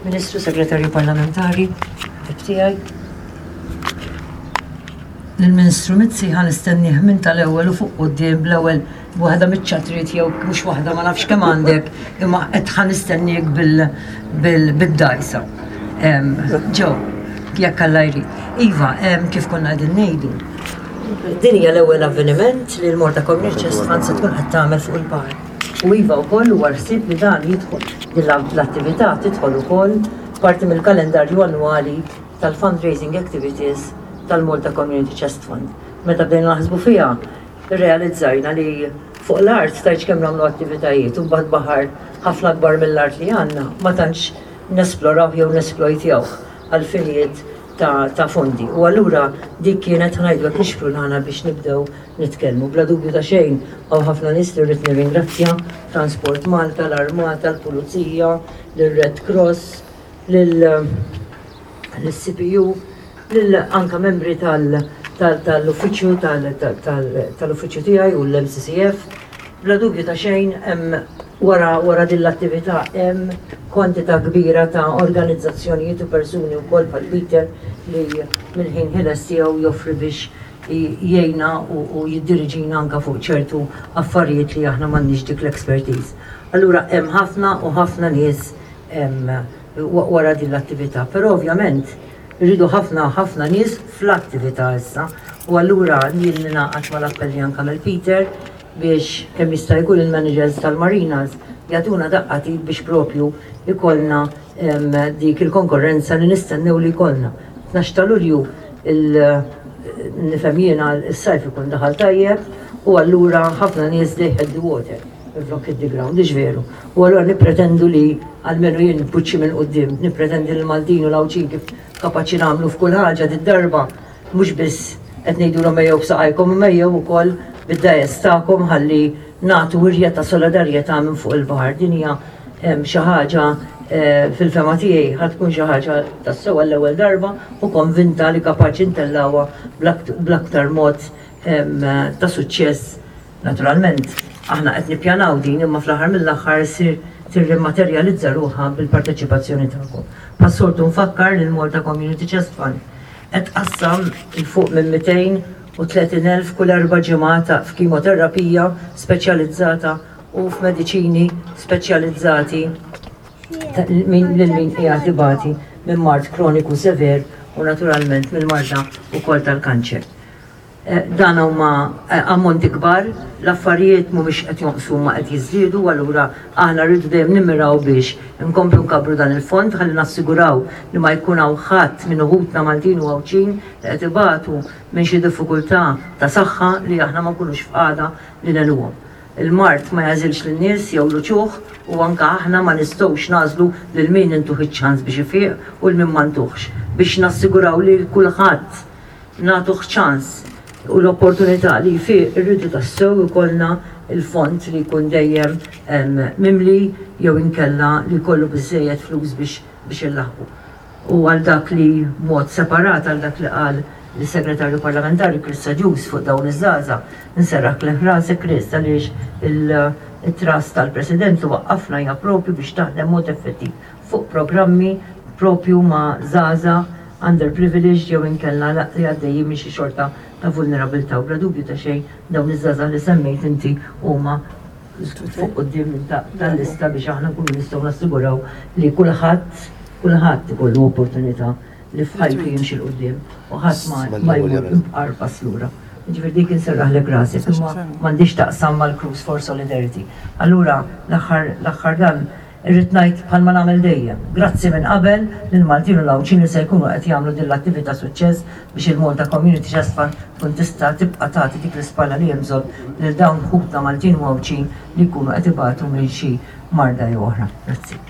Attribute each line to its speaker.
Speaker 1: Ministru Segretarju Parlamentari, ħbieb tiegħi. Lill-Ministru Mizzi ħa nistennieh minn tal-ewwel u fuq quddiem bl-ewwel waħda miċ-ċatriet jew mhux waħda ma nafx kemm għandek imma qed ħa nistenniek bil-dgħajsa. Ġew, jekk Alla jrid. Iva, kif konna qegħdin ngħidu, din hija l-ewwel avveniment li l-Malta Community Chest Fund se tkun qed tagħmel fuq il-baħar. U iva wkoll huwa l-ħsieb li dan jidħol din l-attività tidħol ukoll parti mill-kalendarju annwali tal-fundraising activities tal-Malta Community Chest Fund. Meta bdejna naħsbu fiha, irrealizzajna li fuq l-art tgħidx kemm nagħmlu attivitajiet u mbagħad baħar ħafna akbar mill-art li għandna ma tantx nesplorawh jew nesplojtjawh għal finijiet ta', ta fondi. U allura dik kienet ngħidu hekk nixprunana biex nibdew nitkellmu. Bla dubju ta' xejn hawn ħafna nies li rrid nirringrazzja, Transport Malta, l-Armata, l-Pulizija, lir-Red Cross, lil lis-CPU, lil anka membri tal-uffiċċju tal-uffiċċju tiegħi u l-MCCF. Bla dubju ta' xejn hemm wara wara din l-attività hemm kwantità kbira ta' organizzazzjonijiet u persuni wkoll bħal Peter li mill-ħin ħieles tiegħu joffri biex jgħinna u jiddiriġina anka fuq ċertu affarijiet li aħna m'għandniex dik l-expertise. Allura hemm ħafna u ħafna nies wara din l-attività. Però ovvjament irridu ħafna ħafna nies fl-attività issa u allura jien ningħaqad mal-appell li anke għamel Peter biex kemm jista' jkun il-managers tal-marinas jagħtuna daqqa t'id biex propju ikollna dik il-konkorrenza li nistennew li jkollna. 12 ta' Lulju nifhem jiena s-sajf ikun daħal tajjeb u allura ħafna nies they hit the water. Minflok hit the ground, hux veru? U allura nippretendu li, almenu jien b'wiċċi minn quddiem, nippretendi li l-Maltin u l-Għawdxin kif kapaċi nagħmlu f'kull ħaġa did-darba mhux biss qed ngħidulhom ejjew b'saqajkom imma ejjew ukoll bid-dgħajjes tagħkom ħalli nagħtu wirja ta' solidarjetà minn fuq il-baħar. Din hija xi ħaġa fil-fehma tiegħi ħa tkun xi ħaġa tassew għall-ewwel darba u konvinta li kapaċi ntellgħuha bl-aktar mod ta' suċċess Naturalment, aħna qed nippjanaw din imma fl-aħħar mill-aħħar issir tirrimaterjalizza ruħha bil-parteċipazzjoni tagħkom. Bħas-soltu nfakkar li l-Malta Community Chest Fund qed tqassam 'il fuq minn 230,000 kull erba' ġimgħat f'kimoterapija speċjalizzata u f'mediċini speċjalizzati lil min qiegħed ibati minn mard kroniku sever u naturalment mill-marda wkoll tal-kanċer. Dan huma ammonti kbar, l-affarijiet mhumiex qed jonqsu imma qed jiżdiedu u allura aħna rridu dejjem nimmiraw biex inkomplu nkabbru dan il-fond ħalli nassiguraw li ma jkun hawn ħadd minn uħudna Maltin u Għawdxin li qed ibatu minn xi diffikultà ta' saħħa li aħna ma nkunux f'qagħda li ngħinuhom. Il-mard ma jagħżilx lin-nies jew l-uċuħ u anke aħna ma nistgħux nagħżlu lil min intuh iċ-ċans biex ifiq u 'l min ma ntuhx. Biex nassiguraw li 'l kulħadd nagħtuh ċans u l-opportunità li jfiq irridu tassew ikollna l-fond li jkun dejjem mimli jew inkella li jkollu biżżejjed flus biex biex illaħħqu. U għal dak li b'mod separat għal dak li qal is-Segretarju Parlamentari Chris Agius fuq dawn iż-żgħażagħ, nserraħlek rasek Chris għaliex it-trust tal-President li waqqafna hija propju biex taħdem mod effettiv fuq programmi propju ma' żgħażagħ underprivileged jew inkella li għaddejjin minn xi xorta ta' vulnerabilità u bla dubju ta' xejn dawn iż-żgħażagħ li semmejt inti huma fuq quddiem tal-lista biex aħna nkunu nistgħu nassiguraw li kulħadd kulħadd ikollu opportunità li f'ħajtu jimxi 'l quddiem u ħadd ma jmur imqar pass lura. Jiġifieri dik inserraħlek rasek imma m'għandhiex taqsam mal-Cruise for Solidarity. Allura l-aħħar l-aħħar dan Irrid ngħid bħalma nagħmel dejjem, grazzi minn qabel lill-Maltin u l-Għawdxin li se jkunu qed jagħmlu din l-attività suċċess biex il-Malta Community Chest Fund tkun tista' tibqa' tagħti dik l-ispalla li hemm bżonn lil dawn ħutna Maltin u Għawdxin li jkunu qed ibatu minn xi marda jew oħra. Grazzi.